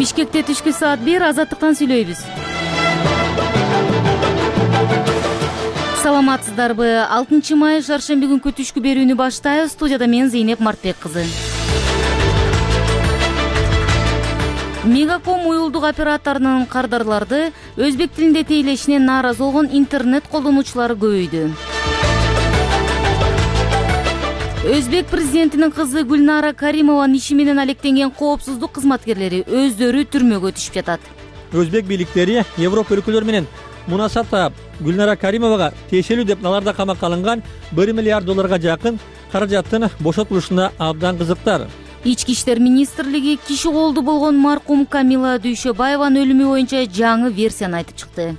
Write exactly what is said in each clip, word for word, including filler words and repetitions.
Бишкекте түшкү саат бир азаттыктан сүйлөйбүз. Саламатсыздарбы? алтынчы май шаршемби күнкү түшкү берүүнү баштайбыз. Студияда мен Зейнеп Мартбек кызы. Мегаком уюлдук операторунун кардарларды өзбек тилинде тейлешине нааразы болгон интернет колдонуучулары көбөйдү. Өзбек президентинин кызы Гүлнара Каримованын иши менен алектенген коопсуздук кызматкерлери өздөрү түрмөгө түшүп жатат. Өзбек бийликтери Европа өлкөлөрү менен мунасаптап Гүлнара Каримовага тиешелүү деп наларда камакка алынган бир миллиард долларга жакын каражаттын бошотулушуна абдан кызыктар. Ички иштер министрлиги киши колду болгон маркум Камила Дүйшөбаеванын өлүмү боюнча жаңы версияны айтып чыкты.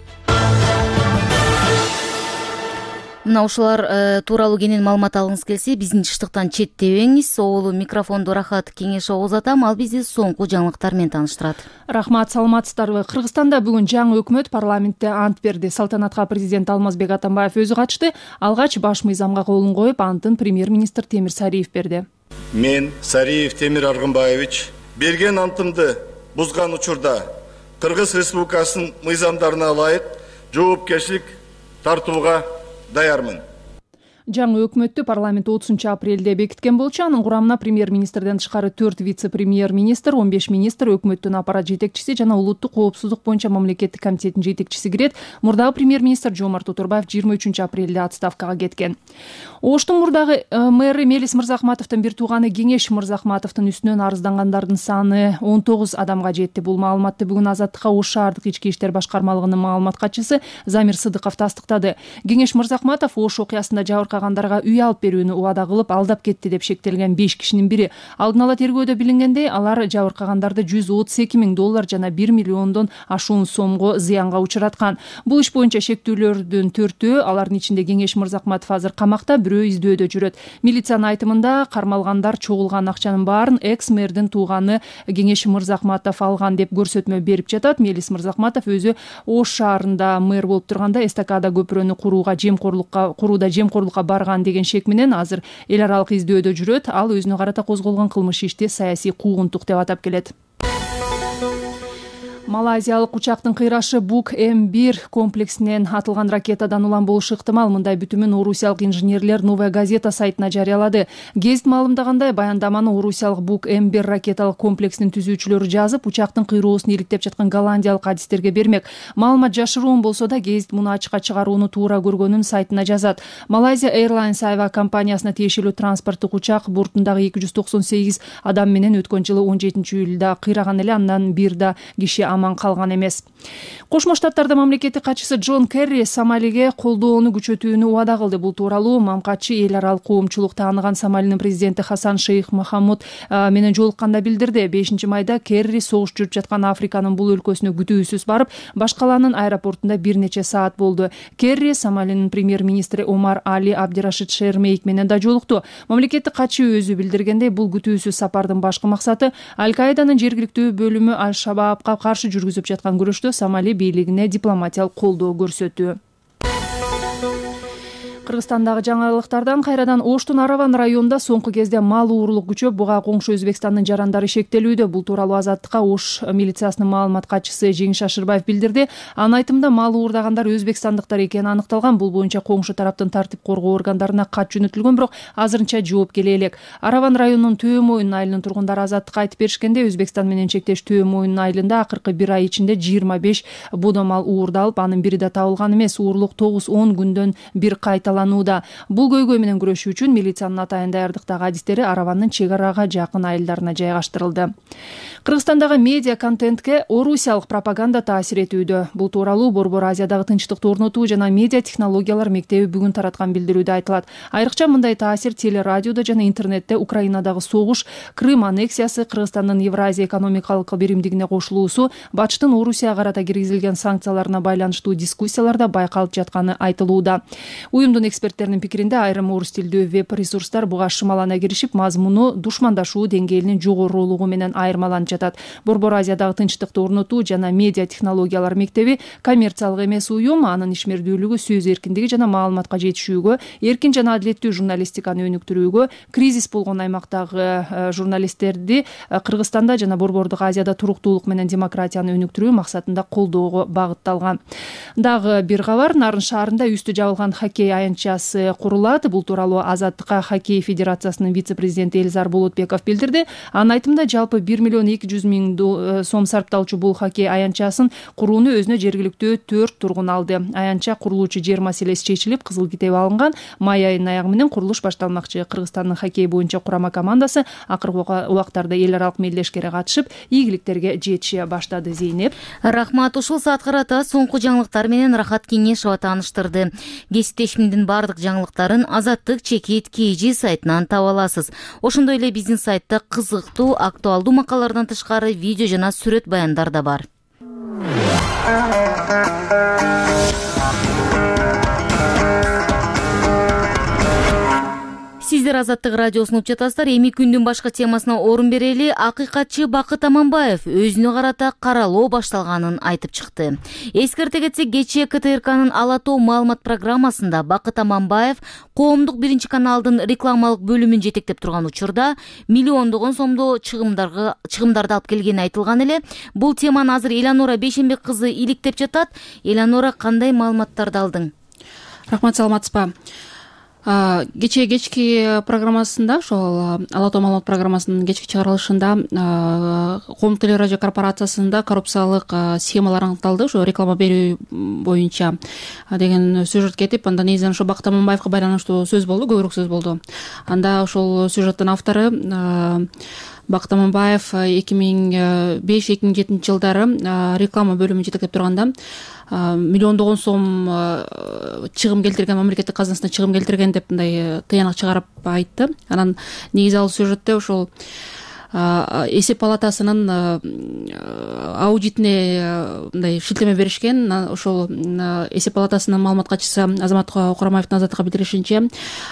Мына ушулар э, тууралуу кенен маалымат алгыңыз келсе, биздин чыштыктан четтебеңиз. Соолу микрофонду Рахат Кеңешов узатам, ал бизди соңку жаңылыктар менен тааныштырат. Рахмат, саламатсыздарбы? Кыргызстанда бүгүн жаңы өкмөт парламентте ант берди. Салтанатка президент Алмазбек Атамбаев өзү катышты. Алгач баш мыйзамга колун коюп, антын премьер-министр Темир Сариев берди. Мен, Сариев Темир Аргынбаевич, берген антымды бузган учурда Кыргыз Республикасынын мыйзамдарына ылайык жоопкерчилик тартууга даярмын. Жаңы өкмөттү парламент отузунчу апрелде бекиткен болчу. Анын курамына премьер-министрден тышкары төрт вице-премьер-министр, он беш министр, өкмөттүн аппарат жетекчиси жана улуттук коопсуздук боюнча мамлекеттик комитеттин жетекчиси кирет. Мурдагы премьер-министр Жомарт Отурбаев жыйырма үчүнчү апрелде отставкага кеткен. Оштун мурдагы мэри Мелис Мырзахматовдун бир тууганы Кеңеш Мырзахматовдун үстүнөн арыздангандардын саны он тогуз адамга жетти. Бул маалыматты бүгүн Азаттыкка Ош шаардык ички иштер башкармалыгынын маалымат катчысы Замир Сыдыков тастыктады. Кеңеш Мырзахматов Ош окуясында жабыркагандарга үй алып берүүнү убада кылып алдап кетти деп шектелген беш кишинин бири. Алдын ала тергөөдө билингендей, алар жабыркагандарды жүз отуз эки миң доллар жана бир миллиондон ашуун сомго зыянга учураткан. Бул иш боюнча шектүүлөрдүн төртөө, алардын ичинде Кеңеш Мырзахматов азыр камакта, бирөө издөөдө жүрөт. Милициянын айтымында кармалгандар чогулган акчанын баарын экс-мэрдин тууганы Кеңеш Мырзахматов алган деп көрсөтмө берип жатат. Мелис Мырзахматов өзү Ош шаарында мэр болуп турганда эстакада көпүрөнү курууга жемкорлукка курууда жемкорлукка барган деген шек менен азыр эл аралык издөөдө жүрөт. Ал өзүнө карата козголгон кылмыш ишти саясий куугунтук деп атап келет. Малайзиялык учактын кыйрашы Бук М бир комплексинен атылган ракетадан улам болушу ыктымал. Мындай бүтүмүн орусиялык инженерлер Новая газета сайтына жарыялады. Гезит маалымдагандай, баяндаманы орусиялык Бук М бир ракеталык комплексинин түзүүчүлөрү жазып, учактын кыйроосун иликтеп жаткан голландиялык адистерге бермек. Маалымат жашыруун болсо да, гезит муну ачыкка чыгарууну туура көргөнүн сайтына жазат. Malaysia Airlines авиакомпаниясына тиешелүү транспорттук учак бортундагы эки жүз токсон сегиз адам менен өткөн жылы он жетинчи июлда кыйраган эле, андан бир да киши аман калган эмес. Кошмо Штаттарда мамлекеттик катчысы Джон Керри Сомалиге колдоону күчөтүүнү убада кылды. Бул тууралуу мамкатчы эл аралык коомчулук тааныган Сомалинин президенти Хасан Шейх Мохаммуд менен жолукканда билдирди. бешинчи майда Керри согуш жүрүп жаткан Африканын бул өлкөсүнө күтүүсүз барып, башкаланын аэропортунда бир нече саат болду. Керри Сомалинин премьер-министри Омар Али Абдирашид Шермейк менен да жолукту. Мамлекеттик катчы өзү билдиргендей, бул күтүүсүз сапардын башкы максаты Аль-Каиданын жергиликтүү бөлүмү Аль-Шабабка каршы жүргүзүп жаткан күрөштө Сомали бийлигине дипломатиялык колдоо көрсөтүү. Кыргызстандагы жаңылыктардан кайрадан Оштун Араван районунда соңку кезде мал уурулук күчөп, буга коңшу Өзбекстандын жарандары шектелүүдө. Бул тууралуу Азаттыкка Ош милициясынын маалымат катчысы Жеңиш Ашырбаев билдирди. Анын айтымында мал уурдагандар өзбекстандыктар экени аныкталган. Бул боюнча коңшу тараптын тартип коргоо органдарына кат жөнөтүлгөн, бирок азырынча жооп келе элек. Араван районунун Төө Моюн айылынын тургундары Азаттыкка айтып беришкенде, Өзбекстан менен чектеш Төө Моюн айылында акыркы бир ай ичинде жыйырма беш бодо мал уурдалып, анын бири да табылган эмес. Уурулук тогуз он күндөн бир кайта Бул көйгөй менен күрөшүү үчүн милициянын атайын даярдыктагы адистери Аравандын чек арага жакын айылдарына жайгаштырылды. Кыргызстандагы медиа контентке орусиялык пропаганда таасир этүүдө. Бул тууралуу Борбор Азиядагы тынчтыкты орнотуу жана медиа технологиялар мектеби бүгүн тараткан билдирүүдө айтылат. Айрыкча мындай таасир телерадиодо жана интернетте Украинадагы согуш, Крым аннексиясы, Кыргызстандын Евразия экономикалык биримдигине кошулуусу, Батыштын Орусияга карата киргизилген санкцияларына байланыштуу дискуссияларда байкалып жатканы айтылууда. Уюмдун Лондон эксперттеринин пикиринде айрым орус тилдүү веб ресурстар буга шымалана киришип, мазмуну душмандашуу деңгээлинин жогорулугу менен айырмаланып жатат. Борбор Азиядагы тынчтыкты орнотуу жана медиа технологиялар мектеби коммерциялык эмес уюм, анын ишмердүүлүгү сөз эркиндиги жана маалыматка жетишүүгө, эркин жана адилеттүү журналистиканы өнүктүрүүгө, кризис болгон аймактагы журналисттерди Кыргызстанда жана Борбордук Азияда туруктуулук менен демократияны өнүктүрүү максатында колдоого багытталган. Дагы бир кабар, Нарын шаарында үстү жабылган хоккей аянтчасы курулат. Бул тууралуу Азаттыкка хоккей федерациясынын вице-президенти Элизар Болотбеков билдирди. Анын айтымында жалпы бир миллион эки жүз миң сом сарпталчу бул хоккей аянтчасын курууну өзүнө жергиликтүү төрт тургун алды. Аянтча курулуучу жер маселеси чечилип, кызыл китеп алынган. Май айынын аягы менен курулуш башталмакчы. Кыргызстандын хоккей боюнча курама командасы акыркы убактарда эл аралык мелдешкере катышып, ийгиликтерге жетише баштады. Зейнеп, рахмат. Ушул саат карата соңку жаңылыктар менен Рахат Кеңешова тааныштырды. Кесиптешимдин бардык жаңылыктарын Азаттык чекит кей жи сайтынан таба аласыз. Ошондой эле биздин сайтта кызыктуу, актуалдуу макалалардан тышкары видео жана сүрөт баяндар да бар. Сиздер Азаттык радиосун угуп жатасыздар. Эми күндүн башка темасына орун берели. Акыйкатчы Бакыт Аманбаев өзүнө карата каралоо башталганын айтып чыкты. Эскерте кетсек, кечээ ка тэ эр канын Ала тоо маалымат программасында Бакыт Аманбаев коомдук биринчи каналдын рекламалык бөлүмүн жетектеп турган учурда миллиондогон сомдо чыгымдарга чыгымдарды алып келгени айтылган эле. Бул теманы азыр Эланора Бейшенбек кызы иликтеп жатат. Эланора, кандай маалыматтарды алдың? Рахмат, саламатсызбы? Кечээ кечки программасында, ошол Ала тоо маалымат программасынын кечки чыгарылышында Коомдук телерадио корпорациясында коррупциялык схемалар аныкталды, ошо реклама берүү боюнча деген сюжет кетип, андан негизинен ошо Бакыт Аманбаевга байланыштуу сөз болду, көбүрөөк сөз болду. Анда ошол сюжеттин автору Бакыт Аманбаев эки миң беш эки миң жетинчи жылдары реклама бөлүмүн жетектеп турганда миллиондогон сом чыгым келтирген, мамлекеттик казынасына чыгым келтирген деп мындай тыянак чыгарып айтты. Анан негизи ал сюжетте ошол эсеп палатасынын аудитине мындай шилтеме беришкен. Ошол эсеп палатасынын маалымат катчысы Азамат Курамаевдин Азаттыкка билдиришинче,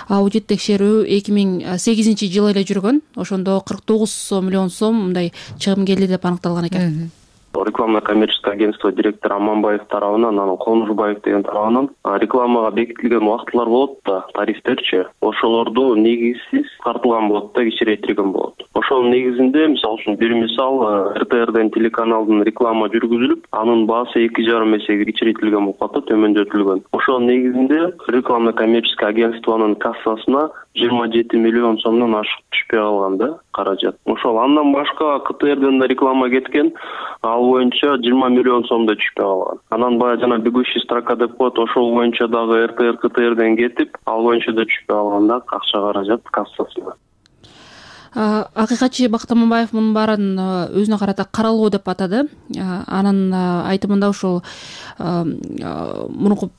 аудит текшерүү эки миң сегизинчи жылы эле жүргөн. Ошондо кырк тогуз миллион сом мындай чыгым келди деп аныкталган экен. Рекламное коммерческое агентство директора Аманбаев тарабынан, анан Конушбаев деген тарабынан рекламага бекитилген убактылар болот да, тарифтерчи. Ошолорду негизсиз картылган болот да, кичирейтилген болот. Ошонун негизинде, мисалы үчүн бир мисал, эр тэ эрден телеканалдын реклама жүргүзүлүп, анын баасы эки жарым эсеге кичирейтилген болуп калды, төмөндөтүлгөн. Ошонун негизинде рекламное коммерческое агентствонун кассасына жыйырма жети миллион сомдон ашык түшпөй калган да каражат. Ошол андан башка ка тэ эрден да реклама кеткен, ал боюнча жыйырма миллион сомдо түшпөй калган. Анан баягы жана бегущий строка деп коет, ошол боюнча дагы эр тэ эр ка тэ эрден кетип, ал боюнча да түшпөй калган да акча каражат кассасына. Акыйкатчы Бакыт Аманбаев мунун баарын өзүнө карата каралоо деп атады. Анын айтымында ошол мурунку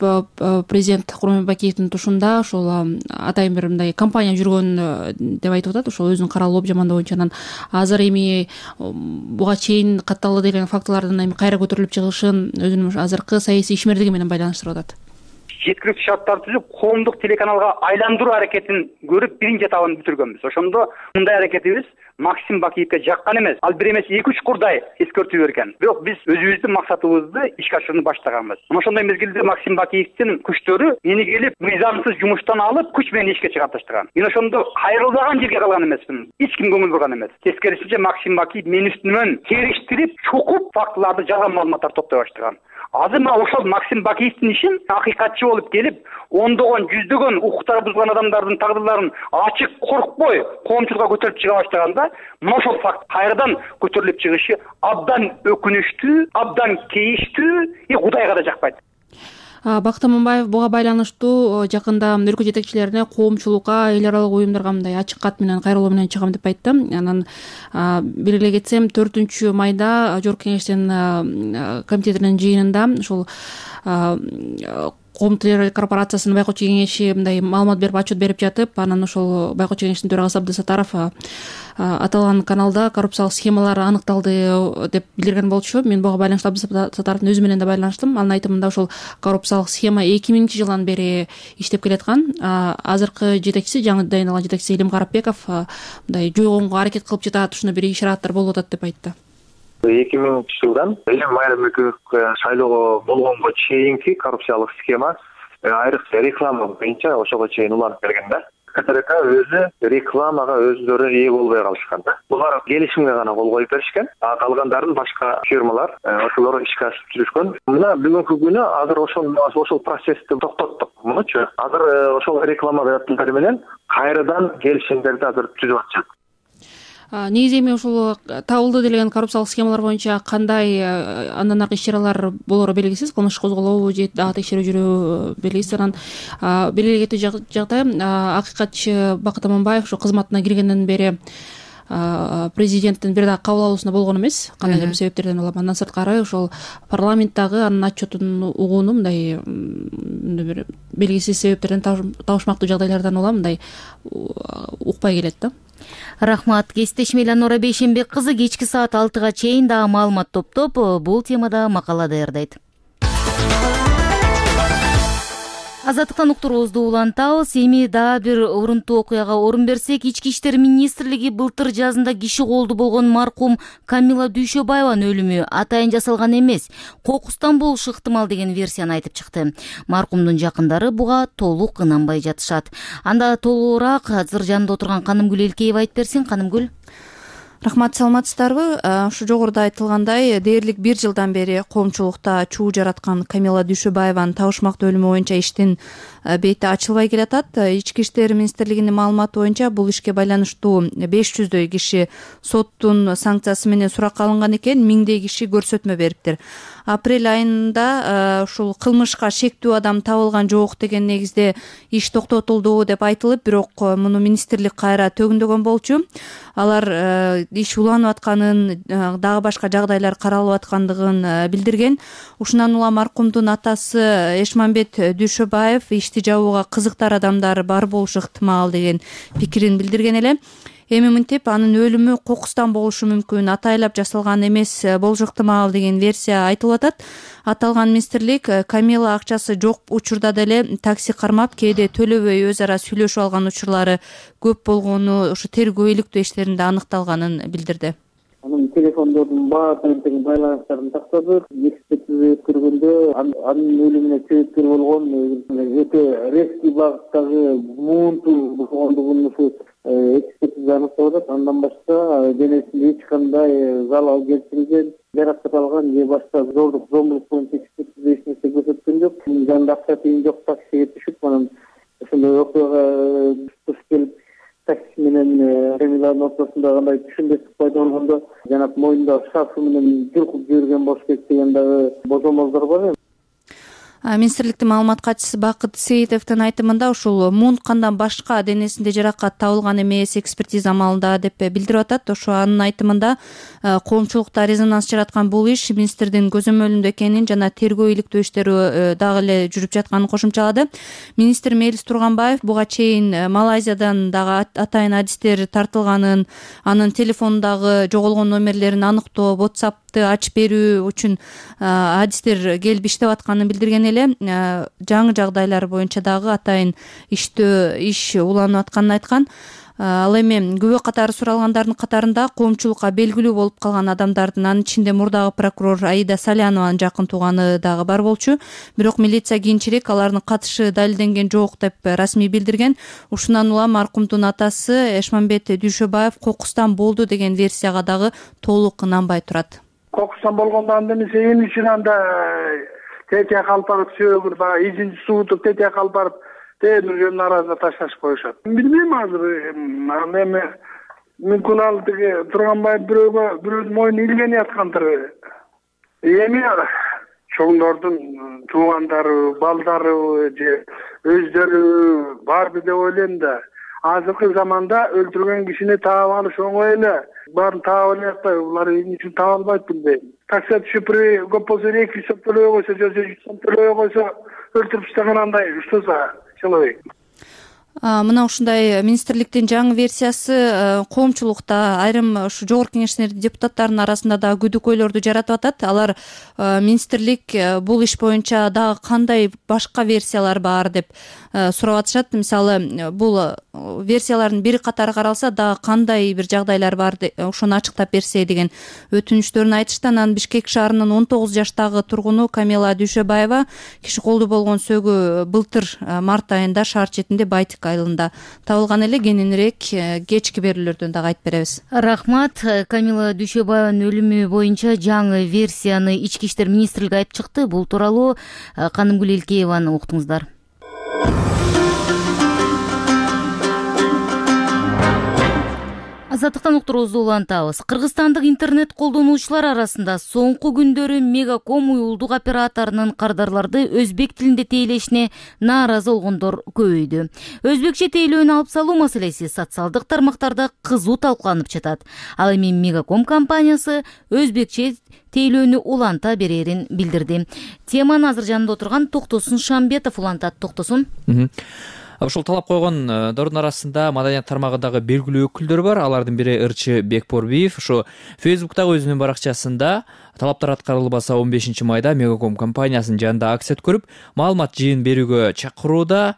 президент Курманбек Бакиевдин тушунда ошол атайын бир мындай компания жүргөн деп айтып атат. Ошол өзүнүн каралоо жамандоо боюнча. Анан азыр эми буга чейин катталды деген фактылардын эми кайра көтөрүлүп чыгышын өзүнүн азыркы саясий ишмердиги менен байланыштырып атат. Жеткиликтүү шарттарды түзүп, коомдук телеканалга айландыруу аракетин көрүп, биринчи этабын бүтүргөнбүз. Ошондо мындай аракетибиз Максим Бакиевге жаккан эмес, ал бир эмес эки үч курдай эскертүү берген. Бирок биз өзүбүздүн максатыбызды ишке ашырууну баштаганбыз. Мына ошондой мезгилде Максим Бакиевдин күчтөрү мени келип мыйзамсыз жумуштан алып, күч менен ишке чыгарып таштаган. Мен ошондо кайрылбаган жерге калган эмесмин. Эч ким көңүл бурган эмес. Тескерисинче Максим Бакиев мени үстүмөн териштирип, чукуп фактыларды, жалган маалыматтарды топтой баштаган. Азыр мына ошол Максим Бакиевдин ишин акыйкатчы болуп келип, ондогон, жүздөгөн укуктары бузган адамдардын тагдырларын ачык коркпой коомчулукка көтөрүп чыга баштаганда, мына ошол факт кайрадан көтөрүлүп чыгышы абдан өкүнүчтүү, абдан кейиштүү, и Кудайга да жакпайт. Бакыт Аманбаев буга байланыштуу жакында өлкө жетекчилерине, коомчулукка, эл аралык уюмдарга мындай ачык кат менен кайрылуу менен чыгам деп айтты. Анан белгилей кетсем, төртүнчү майда Жогорку Кеңештин комитетинин жыйынында ушул коомдук телерадио корпорациясынын байкоочу кеңеши мындай маалымат берип отчет берип жатып, анан ошол байкоочу кеңештин төрагасы Абдысаттаров аталган каналда коррупциялык схемалар аныкталды деп билдирген болчу. Мен буга байланыштуу Абдысаттаровдун өзү менен да байланыштым. Анын айтымында ошол коррупциялык схема эки миңинчи жылдан бери иштеп келаткан. Азыркы жетекчиси, жаңы дайындалган жетекчиси Илим Карапбеков мындай жойгонго аракет кылып жатат, ушуну бир ишараттар болуп атат деп айтты. эки миңинчи жылдан Элим Майрамбеков шайлоого болгонго чейинки коррупциялык схема айрыкча реклама боюнча ошого чейин уланып келген да. КТРК өзү рекламага өзүлөрү ээ болбой калышкан да. Булар келишимге гана кол коюп беришкен, а калгандарын башка фирмалар ошолор ишке ашырып жүрүшкөн. Мына бүгүнкү күнү азыр ошол ошол процессти токтоттук. Мынучу азыр ошол реклама берүүчүлөр менен кайрадан келишимдерди азыр түзүп атышат. Негизи эми ушул табылды делген коррупциялык схемалар боюнча кандай андан аркы иш-чаралар болору белгисиз, кылмыш козголобу же дагы текшерүү жүрөбү белгисиз. Анан белгилегендей жагдай акыйкатчы Бакыт Аманбаев ошо кызматына киргенден бери президенттин бир дагы кабыл алуусунда болгон эмес, кандайдыр бир себептерден улам. Андан сырткары ошол парламенттагы анын отчетун угууну мындай бир белгисиз себептерден, табышмактуу жагдайлардан улам мындай укпай келет да. Рахмат. Кесиптешим Эланора Бейшенбек кызы кечки саат алтыга чейин дагы маалымат топтоп бул темада макала даярдайт. Азаттыктан уктуруубузду улантабыз. Эми дагы бир урунтуу окуяга орун берсек, Ички иштер министрлиги былтыр жазында киши колду болгон маркум Камила Дүйшөбаеванын өлүмү атайын жасалган эмес, кокустан болушу ыктымал деген версияны айтып чыкты. Маркумдун жакындары буга толук ынанбай жатышат. Анда толугураак азыр жанында отурган Канымгүл Элкеева айтып берсин. Канымгүл. Рахмат, саламатсыздарбы? Ушу жогоруда айтылгандай, дээрлик бир жылдан бери коомчулукта чуу жараткан Камила Дүйшөбаеванын табышмактуу өлүмү боюнча иштин бети ачылбай келатат. Ички иштер министрлигинин маалыматы боюнча бул ишке байланыштуу беш жүздөй киши соттун санкциясы менен суракка алынган экен, миңдей киши көрсөтмө бериптир. Апрель айында ушул кылмышка шектүү адам табылган жок деген негизде иш токтотулду деп айтылып, бирок муну министрлик кайра төгүндөгөн болчу. Алар иш уланып атканын, дагы башка жагдайлар каралып аткандыгын билдирген. Ушундан улам маркумдун атасы Эшмамбет Дүйшөбаев ишти жабууга кызыктар адамдар бар болушу ыктымал деген пикирин билдирген эле. Эми мынтип анын өлүмү кокустан болушу мүмкүн, атайлап жасалган эмес болушу ыктымал деген версия айтылып атат. Аталган министрлик Камила акчасы жок учурда деле такси кармап, кээде төлөбөй өз ара сүйлөшүп алган учурлары көп болгону ошо тергөө иликтөө иштеринде аныкталганын билдирди. Анын телефондордун баардыгын тең байланыштарын тактадык. Экспертиза өткөргөндө анын өлүмүнө себепкер болгон өтө резкий багыттагы муунтуу болгондугун ушу экспертиза аныктап атат. Андан башка денесинде эч кандай залал келтирилген, жаракат алган же башка зордук зомбулук боюнча экспертиза эч нерсе көрсөткөн жок. Жанында акча тыйын жок, таксиге түшүп анан ошондой окуяга туш келип такси менен Камиланын ортосунда кандай түшүнбөстүк пайда болгондо жанагы мойнунда шарфы менен жулкуп жиберген болуш керек деген дагы божомолдор бар. Министрликтин маалымат катчысы Бакыт Сейитовдун айтымында ушул муунткандан башка денесинде жаракат табылган эмес экспертиза амалында деп билдирип атат. Ошо анын айтымында коомчулукта резонанс жараткан бул иш министрдин көзөмөлүндө экенин жана тергөө иликтөө иштери дагы эле жүрүп жатканын кошумчалады. Министр Мелис Турганбаев буга чейин Малайзиядан дагы атайын адистер тартылганын, анын телефонундагы жоголгон номерлерин аныктоо, WhatsApp'ты ачып берүү үчүн адистер келип иштеп атканын билдирген эле. Жаңы жагдайлар боюнча дагы атайын иштөө иш уланып атканын айткан. Ал эми күбө катары суралгандардын катарында коомчулукка белгилүү болуп калган адамдардын, анын ичинде мурдагы прокурор Аида Салянованын жакын тууганы дагы бар болчу. Бирок милиция кийинчерээк алардын катышы далилденген жок деп расмий билдирген. Ушундан улам маркумдун атасы Эшмамбет Дүйшөбаев кокустан болду деген версияга дагы толук ынанбай турат. Кокустан болгондо анда эмесе эмне үчүн анда тетияк алып барып сөөгүр баягы изин суутуп тетияк алып барып тээдүргөн наразы ташташып коюшат. Билбейм азыр эми мүмкүн ал тиги Турганбаев бирөөгө бирөөдүн мойнуна илгенип аткандыр. Эми чоңдордун туугандары, балдары же өздөрү барбы деп ойлойм да. Азыркы заманда өлтүргөн кишини таап алыш оңой эле. Баарын таап алып атпайбы? Булар эмне үчүн таап албайт билбейм. такси шөпүрө көп болсо эки жүз сом төлөбөй койсо же жүз сом төлөбөй койсо өлтүрүп таштаган андай что за человек. Мына ушундай министрликтин жаңы версиясы коомчулукта айрым ушу жогорку кеңештин депутаттарынын арасында дагы күдүкөйлөрдү жаратып атат. Алар министрлик бул иш боюнча дагы кандай башка версиялар бар деп сурап атышат. Мисалы бул версиялардын бири катары каралса дагы кандай бир жагдайлар бар ошону ачыктап берсе деген өтүнүчтөрүн айтышты. Анан Бишкек шаарынын он тогуз жаштагы тургуну Камила Дүйшөбаева киши колду болгон сөөгү былтыр март айында шаар четинде Байтик айылында табылган эле. Кененирээк кечки берүүлөрдөн дагы айтып беребиз. Рахмат. Камила Дүйшөбаеванын өлүмү боюнча жаңы версияны ички иштер министрлиги айтып чыкты. Бул тууралуу Канымгүл Элкееваны уктуңуздар. Азаттыктан уктуруубузду улантабыз. Кыргызстандык интернет колдонуучулар арасында соңку күндөрү Мегаком уюлдук операторунун кардарларды өзбек тилинде тейлешине нааразы болгондор көбөйдү. Өзбекче тейлөөнү алып салуу маселеси социалдык тармактарда кызуу талкууланып жатат. Ал эми Мегаком компаниясы өзбекче тейлөөнү уланта берерин билдирди. Теманы азыр жанында отурган Токтосун Шамбетов улантат. Токтосун. Ушул талап койгондордун арасында маданият тармагындагы белгилүү өкүлдөр бар. Алардын бири Ырчы Бекборбиев ушу Фейсбуктагы өзүнүн баракчасында талаптар аткарылбаса он бешинчи майда Мегаком компаниясынын жанында акция өткөрүп, маалымат жыйын берүүгө чакырууда.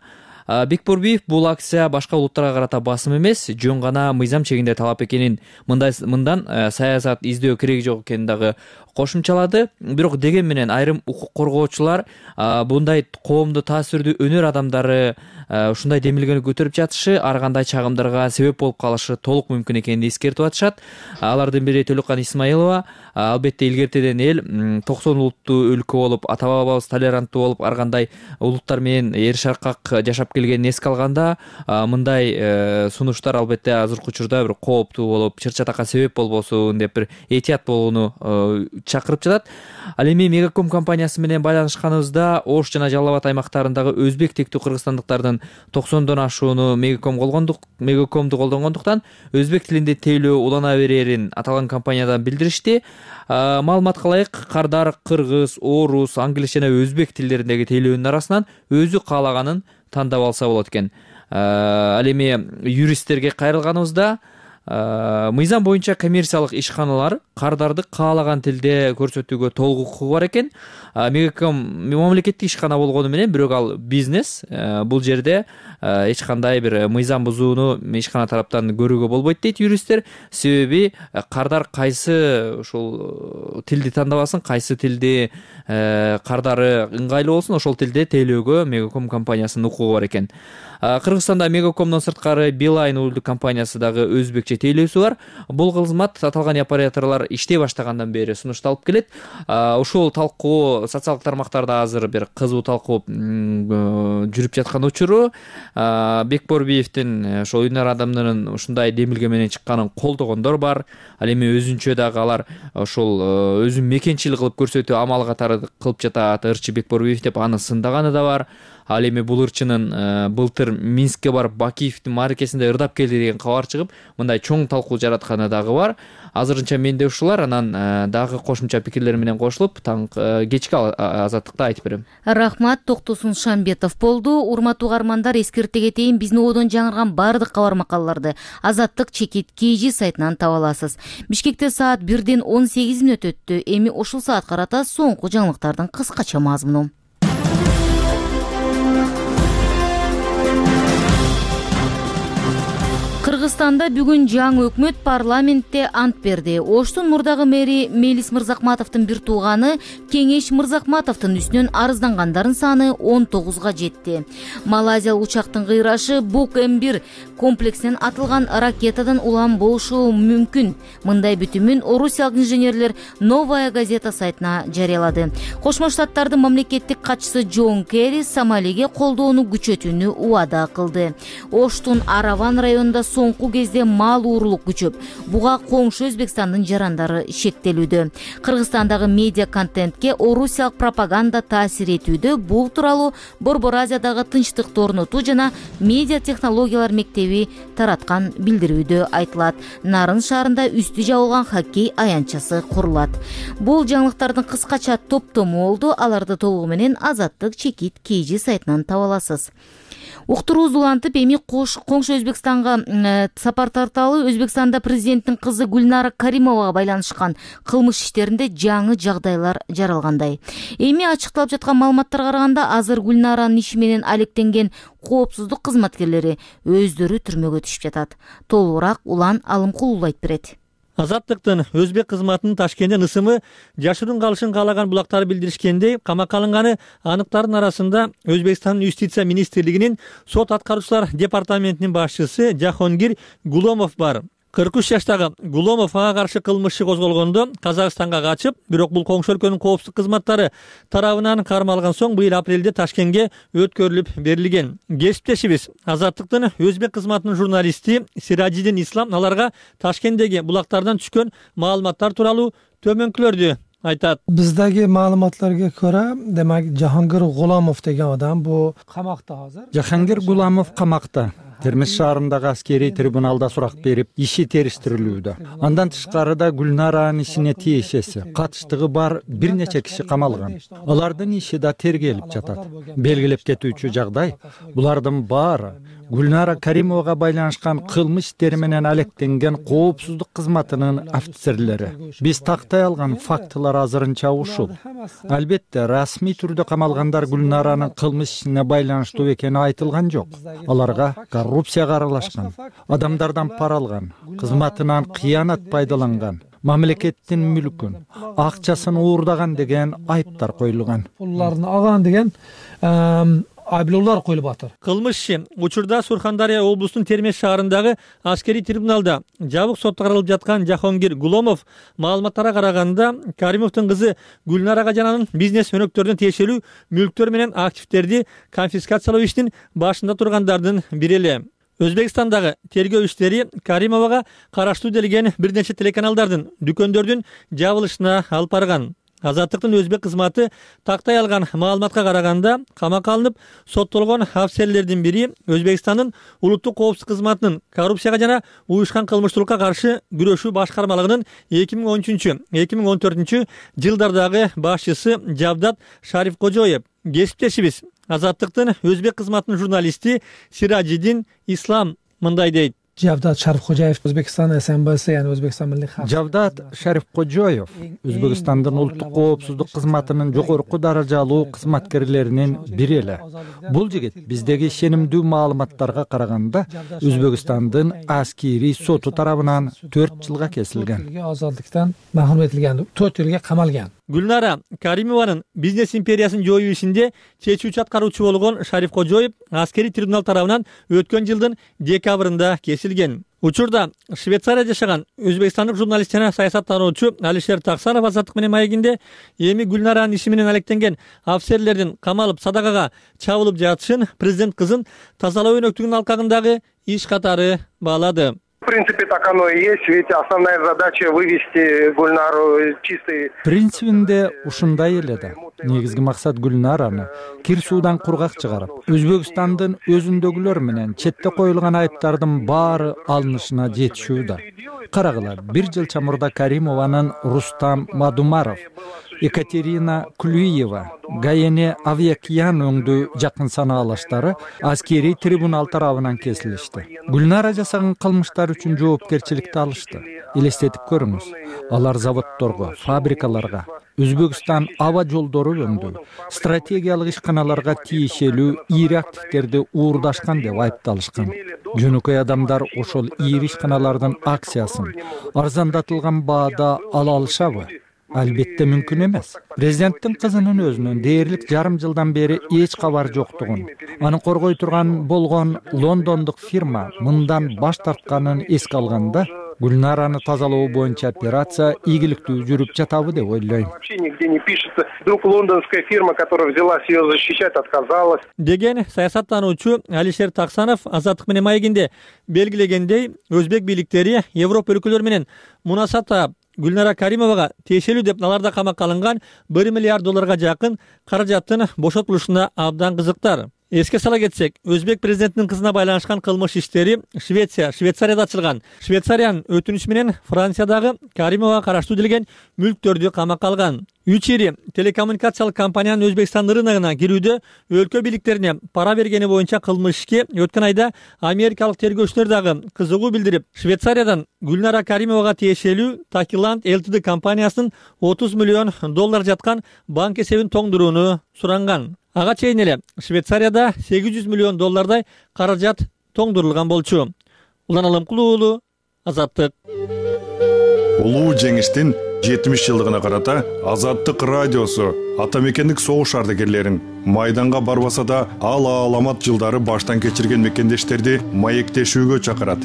Бекборбиев бул акция башка улуттарга карата басым эмес, жөн гана мыйзам чегинде талап экенин, мындай мындан саясат издөө кереги жок экенин дагы кошумчалады. Бирок деген менен айрым укук коргоочулар мындай коомду таасирдүү өнөр адамдары ушундай демилгени көтөрүп жатышы ар кандай чагымдарга себеп болуп калышы толук мүмкүн экенин эскертип атышат. Алардын бири Төлөккан Исмаилова албетте илгертеден эл токсон улуттуу өлкө болуп, ата бабабыз толеранттуу болуп, ар кандай улуттар менен эр шаркак жашап келгенин эске алганда, мындай сунуштар албетте азыркы учурда бир кооптуу болуп, чыр-чатакка себеп болбосун деп бир этият болууну чакырып жатат. Ал эми Мегаком компаниясы менен байланышканыбызда Ош жана Жалал Абад аймактарындагы өзбек тектүү кыргызстандыктардын токсондон ашууну Мегаком колгондук Мегакомду колдонгондуктан өзбек тилинде тейлөө улана берерин аталган компаниядан билдиришти. Маалыматка ылайык, кардар кыргыз, орус, англис жана өзбек тилдериндеги тейлөөнүн арасынан өзү каалаганын тандап алса болот экен. Ал эми юристтерге кайрылганыбызда мыйзам боюнча коммерциялык ишканалар кардарды каалаган тилде көрсөтүүгө толук укугу бар экен. Мегаком мамлекеттик ишкана болгону менен, бирок ал бизнес. Бул жерде эч кандай бир мыйзам бузууну ишкана тараптан көрүүгө болбойт дейт юристтер. Себеби кардар кайсы ушул тилди тандабасын, кайсы тилди кардары ыңгайлуу болсун, ошол тилде тейлөөгө Мегаком компаниясынын укугу бар экен. Кыргызстанда Мегакомдон сырткары Билайн уюлдук компаниясы дагы өзбекче тейлөөсү бар. Бул кызмат аталган операторлор иштей баштагандан бери сунушталып келет. Ушул талкуу социалдык тармактарда азыр бир кызуу талкуу жүрүп жаткан учуру. Бекборбиевдин ошол өнөр адамдарынын ушундай демилге менен чыкканын колдогондор бар. Ал эми өзүнчө дагы алар ошол өзүн мекенчил кылып көрсөтүү амал катары кылып жатат. Ырчы Бекборбиев деп аны сындаганы да бар. Ал эми бул ырчынын былтыр Минскке барып Бакиевдин мааракесинде ырдап келди деген кабар чыгып, мындай чоң талкуу жаратканы дагы бар. Азырынча менде ушулар, анан дагы кошумча пикирлер менен кошулуп, таң кечки азаттыкта айтып берем. Рахмат. Токтосун Шамбетов болду. Урматтуу угармандар, эскерте кетейин, биздин ободон жаңырган бардык кабар макалаларды Азаттык чекит kg сайтынан таба аласыз. Бишкекте саат бирден он сегиз мүнөт өттү. Эми ушул саат карата соңку жаңылыктардын кыскача мазмуну. Кыргызстанда бүгүн жаңы өкмөт парламентте ант берди. Оштун мурдагы мэри Мелис Мырзакматовдун бир тууганы Кеңеш Мырзакматовдун үстүнөн арыздангандардын саны он тогузга жетти. Малайзиялык учактын кыйрашы Бук эм бир комплексинен атылган ракетадан улам болушу мүмкүн. Мындай бүтүмүн орусиялык инженерлер Новая газета сайтына жарыялады. Кошмо Штаттардын мамлекеттик катчысы Джон Керри Сомалиге колдоону күчөтүүнү убада кылды. Оштун Араван районунда соңку соңку кезде мал уурулук күчөп, буга коңшу Өзбекстандын жарандары шектелүүдө. Кыргызстандагы медиа контентке орусиялык пропаганда таасир этүүдө. Бул тууралуу Борбор Азиядагы тынчтыкты орнотуу жана медиа технологиялар мектеби тараткан билдирүүдө айтылат. Нарын шаарында үстү жабылган хоккей аянтчасы курулат. Бул жаңылыктардын кыскача топтому болду. Аларды толугу менен Азаттык чекит kg сайтынан таба аласыз. Уктурууз улантып, эми коңшу Өзбекстанга сапар тарталы Өзбекстанда президенттин кызы Гүлнара Каримовага байланышкан кылмыш иштеринде жаңы жагдайлар жаралгандай. Эми ачыкталып жаткан маалыматтарга караганда, азыр Гүлнаранын иши менен алектенген коопсуздук кызматкерлери өздөрү түрмөгө түшүп жатат. Толугураак Улан Алымкулов айтып берет. Азаттыктын өзбек кызматынын Ташкенттен ысымы жашыруун калышын каалаган булактар билдиришкендей, камакка алынганы аныктардын арасында Өзбекстандын юстиция министрлигинин сот аткаруучулар департаментинин башчысы Жахонгир Гуломов бар. кырк үч жаштагы Гуломов ага каршы кылмыш иши козголгондо Казакстанга качып, бирок бул коңшу өлкөнүн коопсуздук кызматтары тарабынан кармалган соң быйыл апрелде Ташкентке өткөрүлүп берилген. Кесиптешибиз Азаттыктын өзбек кызматынын журналисти Сираджидин Ислам аларга Ташкенттеги булактардан түшкөн маалыматтар тууралуу төмөнкүлөрдү айтат. Биздеги маалыматларга көрө, демек Жахангир Гуломов деген адам бу камакта азыр. Жахангир Гуломов камакта. Термиз шаарындагы аскерий трибуналда сурак берип, иши териштирилүүдө. Андан тышкары да Гүлнаранын ишине тиешеси, катыштыгы бар бир нече киши камалган. Алардын иши да тергелип жатат. Белгилеп кетүүчү жагдай, булардын баары Гүлнара Каримовага байланышкан кылмыш иштери менен алектенген коопсуздук кызматынын офицерлери. Биз тактай алган фактылар азырынча ушул. Албетте, расмий түрдө камалгандар Гүлнаранын кылмыш ишине байланыштуу экени айтылган жок. Аларга коррупцияга аралашкан, адамдардан пара алган, кызматынан кыянат пайдаланган, мамлекеттин мүлкүн, акчасын уурдаган деген айыптар коюлган. Пулларын алган деген айыптоолор коюлуп атат. Кылмыш иши учурда Сурхандария облусунун Термез шаарындагы аскерий трибуналда жабык сотто каралып жаткан Жахонгир Гуломов маалыматтарга караганда, Каримовдун кызы Гүлнара жананын бизнес өнөктөрүнө тиешелүү мүлктөр менен активдерди конфискациялоо ишинин башында тургандардын бири эле. Өзбекстандагы тергөө иштери Каримовага караштуу делген бир нече телеканалдардын, дүкөндөрдүн жабылышына алып барган. Азаттыктын өзбек кызматы тактай алган маалыматка караганда, камакка алынып соттолгон офицерлердин бири Өзбекстандын улуттук коопсуздук кызматынын коррупцияга жана уюшкан кылмыштуулукка каршы күрөшүү башкармалыгынын эки миң он үчүнчү — эки миң он төртүнчү жылдардагы башчысы Жавдат Шарифкожоев. Кесиптешибиз Азаттыктын өзбек кызматынын журналисти Сираджидин Ислам мындай дейт. Жавдат Шарифкожоев Өзбекстан СМБС, яны Өзбекстан милли хавчылык. Жавдат Шарифкожоев Өзбекстандын улуттук коопсуздук кызматынын жогорку даражалуу кызматкерлеринин бири эле. Бул жигит биздеги ишенимдүү маалыматтарга караганда Өзбекстандын аскерий соту тарабынан төрт жылга кесилген. Азаттыктан махрум этилген, төрт жылга камалган. Гүлнара Каримованын бизнес империясын жоюу ишинде чечүүчү аткаруучу болгон Шарифкожоев аскерий трибунал тарабынан өткөн жылдын декабрында кесилген. Учурда Швейцарияда жашаган өзбекстандык журналист жана саясаттануучу Алишер Таксанов Азаттык менен маегинде эми Гүлнаранын иши менен алектенген офицерлердин камалып садакага чабылып жатышын президент кызын тазалоо өнөктүгүнүн алкагындагы иш катары баалады. В принципе, так оно и есть, ведь основная задача вывести Гульнару чистой. Принцибинде ушундай эле да. Негизги максат Гүлнараны кир суудан кургак чыгарып, Өзбекстандын өзүндөгүлөр менен четте коюлган айыптардын баары алынышына жетишүү да. Карагыла, бир жыл чамурда Каримованын Рустам Мадумаров, Екатерина Клюева, Гаяне Авьякиян өңдүү жакын санаалаштары аскерий трибунал тарабынан кесилишти. Гүлнара жасаган кылмыштар үчүн жоопкерчиликти алышты. Элестетип көрүңүз, алар заводдорго, фабрикаларга, Өзбекстан аба жолдору өңдүү, стратегиялык ишканаларга тиешелүү ийри активдерди уурдашкан деп айыпталышкан. Жөнөкөй адамдар ошол ийри ишканалардын акциясын арзандатылган баада ала алышабы? Албетте мүмкүн эмес. Президенттин кызынын өзүнөн дээрлик жарым жылдан бери эч кабар жоктугун, аны коргой турган болгон лондондук фирма мындан баш тартканын эске алганда, Гүлнараны тазалоо боюнча операция ийгиликтүү жүрүп жатабы деп ойлойм. Вообще нигде не пишется. Вдруг лондонская фирма, которая взялась ее защищать, отказалась. Деген саясаттануучу Алишер Таксанов Азаттык менен маегинде белгилегендей, өзбек бийликтери Европа өлкөлөрү менен мунасатта Гүлнара Каримовага тиешелүү деп наларда камакка алынган бир миллиард долларга жакын каражаттын бошотулушуна абдан кызыктар. Эске сала кетсек, өзбек президентинин кызына байланышкан кылмыш иштери Швеция, Швейцарияда ачылган. Швейцариянын өтүнүчү менен Франциядагы Каримовага караштуу делген мүлктөрдү камакка алган. Үч ири телекоммуникациялык компаниянын Өзбекстан рыногуна кирүүдө өлкө бийликтерине пара бергени боюнча кылмыш ишке өткөн айда америкалык тергөөчүлөр дагы кызыгуу билдирип, Швейцариядан Гүлнара Каримовага тиешелүү Такиланд Ltd компаниясынын отуз миллион доллар жаткан банк эсебин тоңдурууну суранган. Ага чейин эле Швейцарияда сегиз жүз миллион доллардай каражат тоңдурулган болчу. Улан Алымкулуу уулу, Азаттык. Улуу жеңиштин жетимиш жылдыгына карата Азаттык радиосу ата мекендик согуш ардагерлерин майданга барбаса да ал аламат жылдары баштан кечирген мекендештерди маектешүүгө чакырат.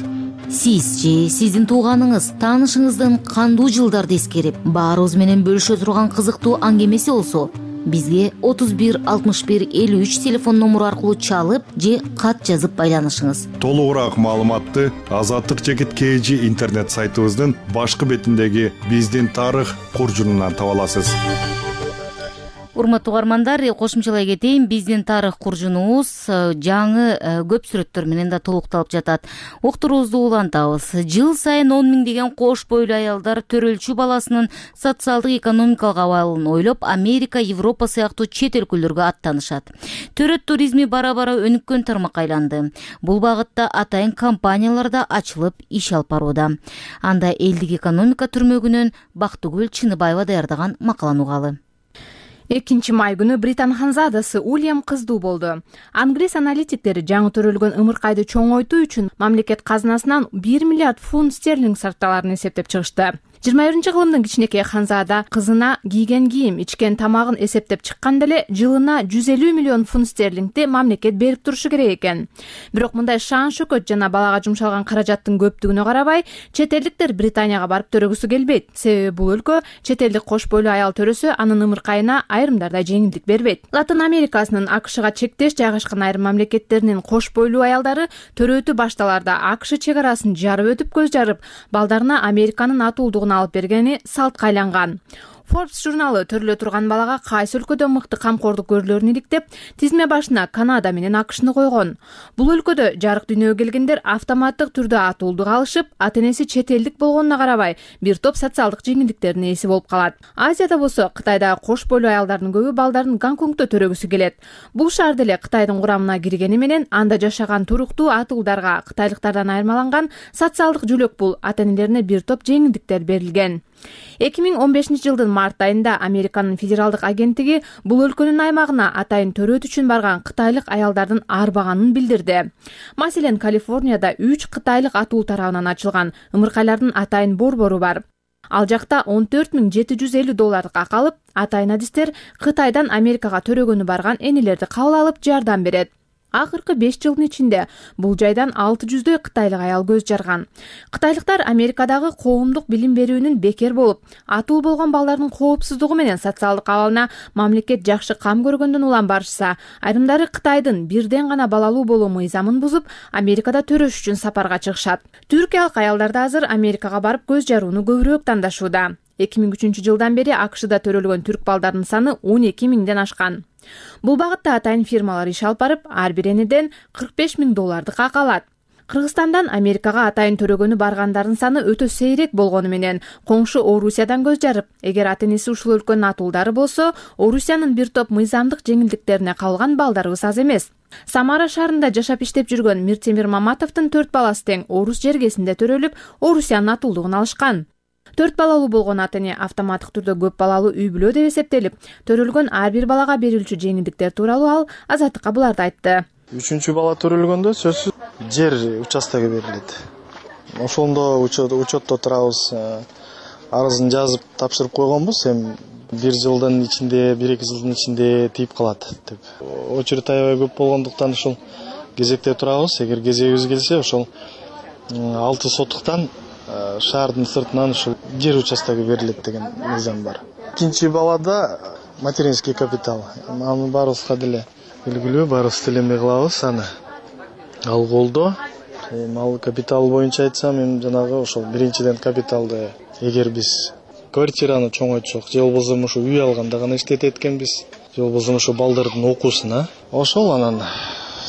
Сиз же сиздин тууганыңыз, таанышыңыздын кандуу жылдарды эскерип, баарыбыз менен бөлүшө турган кызыктуу аңгемеси болсо, бизге отуз бир алтымыш бир элүү үч телефон номуру аркылуу чалып же кат жазып байланышыңыз. Толугураак маалыматты Азаттык жекит кей жи интернет сайтыбыздын башкы бетиндеги биздин тарых куржунунан таба аласыз. Урматтуу угармандар, кошумчалай кетейин, биздин тарых куржунубуз жаңы көп сүрөттөр менен да толукталып жатат. Уктуруубузду улантабыз. Жыл сайын он миңдеген кош бойлуу аялдар төрөлчү баласынын социалдык экономикалык абалын ойлоп, Америка, Европа сыяктуу чет өлкөлөргө аттанышат. Төрөт туризми бара-бара өнүккөн тармакка айланды. Бул багытта атайын компаниялар да ачылып иш алып барууда. Анда элдик экономика түрмөгүнөн Бактыгүл Чыныбаева даярдаган макаланы угалы. экинчи май күнү Британ ханзадасы Уильям кыздуу болду. Англис аналитиктери жаңы төрөлгөн ымыркайды чоңойтуу үчүн мамлекет казынасынан бир миллиард фунт стерлинг сарпталарын эсептеп чыгышты. жыйырма биринчи кылымдын кичинекей ханзада кызына кийген кийим, ичкен тамагын эсептеп чыкканда эле жылына жүз элүү миллион фунт стерлингди мамлекет берип турушу керек экен. Бирок мындай шаан шөкөт жана балага жумшалган каражаттын көптүгүнө карабай, чет элдиктер Британияга барып төрөгүсү келбейт. Себеби бул өлкө чет элдик кош бойлуу аял төрөсө, анын ымыркайына айрымдарда жеңилдик бербейт. Латын Америкасынын АКШга чектеш жайгашкан айрым мамлекеттеринин кош бойлуу аялдары төрөтү башталарда АКШ чек арасын жарып өтүп көз жарып, балдарына Американын атуулдугун алып бергени салтка айланган. Forbes журналы төрөлө турган балага кайсы өлкөдө мыкты камкордук көрүлөрүн иликтеп, тизме башына Канада менен АКШны койгон. Бул өлкөдө жарык дүйнөгө келгендер автоматтык түрдө атуулдук алышып, ата-энеси чет элдик болгонуна карабай, бир топ социалдык жеңилдиктердин ээси болуп калат. Азияда болсо, Кытайдагы кош бойлуу аялдардын көбү балдарын Гонконгдо төрөгүсү келет. Бул шаар деле Кытайдын курамына киргени менен анда жашаган туруктуу атуулдарга кытайлыктардан айырмаланган социалдык жөлөк бул ата-энелерине бир топ жеңилдиктер берилген. эки миң он бешинчи жылдын март айында Американын федералдык агенттиги бул өлкөнүн аймагына атайын төрөт үчүн барган кытайлык аялдардын арбаганын билдирди. Маселен, Калифорнияда үч кытайлык атуу тарабынан ачылган ымыркайлардын атайын борбору бар. Ал жакта он төрт миң жети жүз элүү доллардык акы алып, атайын адистер Кытайдан Америкага төрөгөнү барган энелерди кабыл алып жардам берет. Акыркы беш жылдын ичинде бул жайдан алты жүздөй кытайлык аял көз жарган. Кытайлыктар Америкадагы коомдук билим берүүнүн бекер болуп, атуу болгон балдардын коопсуздугу менен социалдык абалына мамлекет жакшы кам көргөндөн улам барышса, айрымдары Кытайдын бирден гана балалуу болуу мыйзамын бузуп, Америкада төрөш үчүн сапарга чыгышат. Түркиялык аялдар да азыр Америкага барып көз жарууну көбүрөөк тандашууда. эки миң үчүнчү жылдан бери АКШда төрөлгөн түрк балдардын саны он эки миңден ашкан. Бул багытта атайын фирмалар иш алып барып, ар бир энеден кырк беш миң доллардык акы алат. Кыргызстандан Америкага атайын төрөгөнү баргандардын саны өтө сейрек болгону менен, коңшу Орусиядан көз жарып, эгер ата-энеси ушул өлкөнүн атуулдары болсо, Орусиянын бир топ мыйзамдык жеңилдиктерине кабылган балдарыбыз аз эмес. Самара шаарында жашап иштеп жүргөн Миртемир Маматовдун төрт баласы тең орус жергесинде төрөлүп, Орусиянын атуулдугун алышкан. Төрт балалуу болгон ата-эне автоматтык түрдө көп балалуу үй бүлө деп эсептелип, төрөлгөн ар бир балага берилчү жеңилдиктер тууралуу ал Азаттыкка буларды айтты. Үчүнчү бала төрөлгөндө сөзсүз жер участогу берилет. Ошондо учетто турабыз, арызын жазып тапшырып койгонбуз, эми бир жылдын ичинде, бир эки жылдын ичинде тийип калат деп. Очередь аябай көп болгондуктан ушул кезекте турабыз. Эгер кезегибиз келсе, ошол алты соттуктан шаардын сыртынан ушул жер участогу берилет деген мыйзам бар. Экинчи балада материнский капитал. Аны баарыбызга деле белгилүү, баарыбыз тилемей кылабыз аны. Ал колдо. Ал капитал боюнча айтсам, эми жанагы ошол биринчиден капиталды эгер биз квартираны чоңойтсок, же болбосо ушу үй алганда гана иштетет экенбиз, же болбосо ушу балдардын окуусуна, ошол анан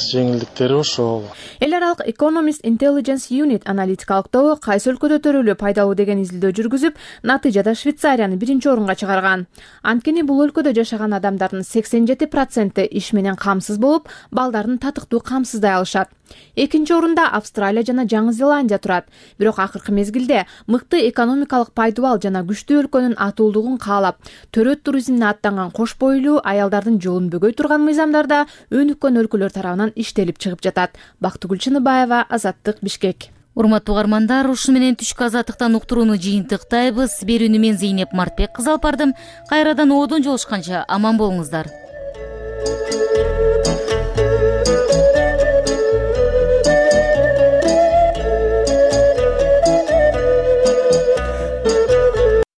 жеңилдиктери ошол. Эл аралык Economist Intelligence Unit аналитикалык тобу кайсы өлкөдө төрөлүү пайдалуу деген изилдөө жүргүзүп, натыйжада Швейцарияны биринчи орунга чыгарган. Анткени бул өлкөдө жашаган адамдардын сексен жети проценти иш менен камсыз болуп, балдарын татыктуу камсыздай алышат. Экинчи орунда Австралия жана Жаңы Зеландия турат. Бирок акыркы мезгилде мыкты экономикалык пайдубал жана күчтүү өлкөнүн атуулдугун каалап, төрөт туризмине аттанган кош бойлуу аялдардын жолун бөгөй турган мыйзамдарда өнүккөн өлкөлөр тарабынан иштелип чыгып жатат. Бактыгүл Чыныбаева, Азаттык, Бишкек. Урматтуу угармандар, ушу менен түшкү азаттыктан уктурууну жыйынтыктайбыз. Берүүнү мен Зейнеп Мартбек кызы алып бардым. Кайрадан оодон жолушканча аман болуңуздар.